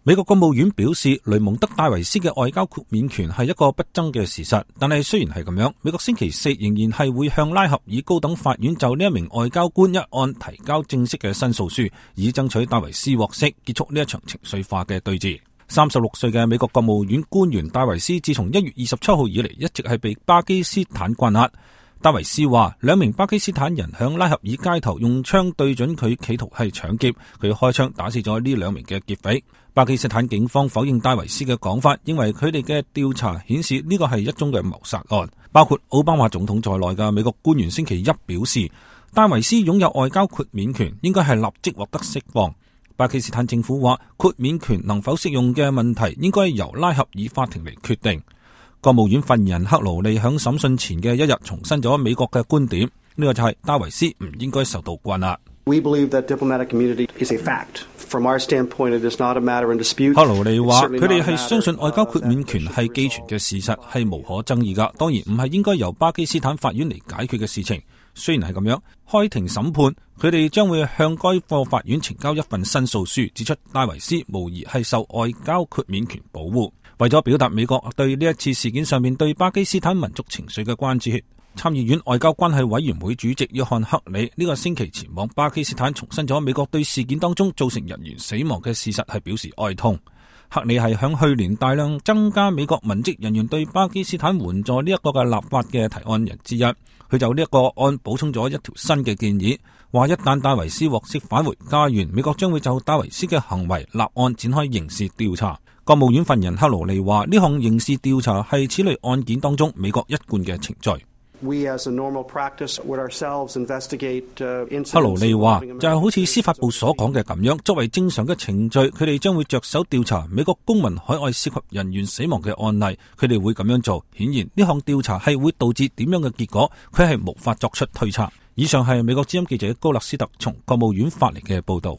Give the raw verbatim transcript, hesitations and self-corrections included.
美國國務院表示，雷蒙德戴維斯嘅外交豁免權係一個不爭嘅事實，但係雖然係咁樣，美國星期四仍然係會向拉合爾高等法院就呢一名外交官一案提交正式嘅申訴書，以爭取戴維斯獲釋，結束呢一場情緒化嘅對峙。三十六歲嘅美國國務院官員戴維斯，自從一月二十七號以嚟一直係被巴基斯坦關押。戴維斯話，兩名巴基斯坦人響拉合爾街頭用槍對準佢，企圖係搶劫，佢開槍打死咗呢兩名嘅劫匪。巴基斯坦警方否認戴維斯嘅講法，認為佢哋嘅調查顯示呢個係一宗嘅謀殺案。包括奧巴馬總統在內嘅美國官員星期一表示，戴維斯擁有外交豁免權，應該係立即獲得釋放。巴基斯坦政府話，豁免權能否適用嘅問題應該由拉合爾法庭嚟決定。國務院發言人克勞利響審訊前嘅一日重申咗美國嘅觀點，呢個就係戴維斯唔應該受到關押。We believe that diplomatic immunity is a fact. From our standpoint, it is not a matter in dispute. 克勞利話，佢哋係相信外交豁免權係既存嘅事實，係無可爭議噶，當然唔係應該由巴基斯坦法院嚟解決嘅事情。雖然係咁樣，開庭審判，佢哋將會向該個法院呈交一份申訴書，指出戴維斯無疑係受外交豁免權保護。為咗表達美國對呢一次事件上面對巴基斯坦民族情緒嘅關注，參議院外交關係委員會主席約翰克里呢個星期前往巴基斯坦，重申咗美國對事件當中造成人員死亡嘅事實係表示哀痛。克里係響去年大量增加美國文職人員對巴基斯坦援助呢一個嘅立法嘅提案人之一，佢就呢一個案補充咗一條新嘅建議，話一旦戴維斯獲釋返回家園，美國將會就戴維斯嘅行為立案展開刑事調查。國務院發言人克勞利話，呢項刑事調查係此類案件當中美國一貫嘅程序。We as a normal practice would ourselves investigate incidents. 克勞利話，就係好似司法部所講嘅咁樣，作為正常嘅程序，佢哋將會着手調查美國公民海外涉及人員死亡嘅案例，佢哋會咁樣做。顯然呢項調查係會導致點樣嘅結果，佢係無法作出推測。以上係美國之音記者高勒斯特從國務院發嚟嘅報道。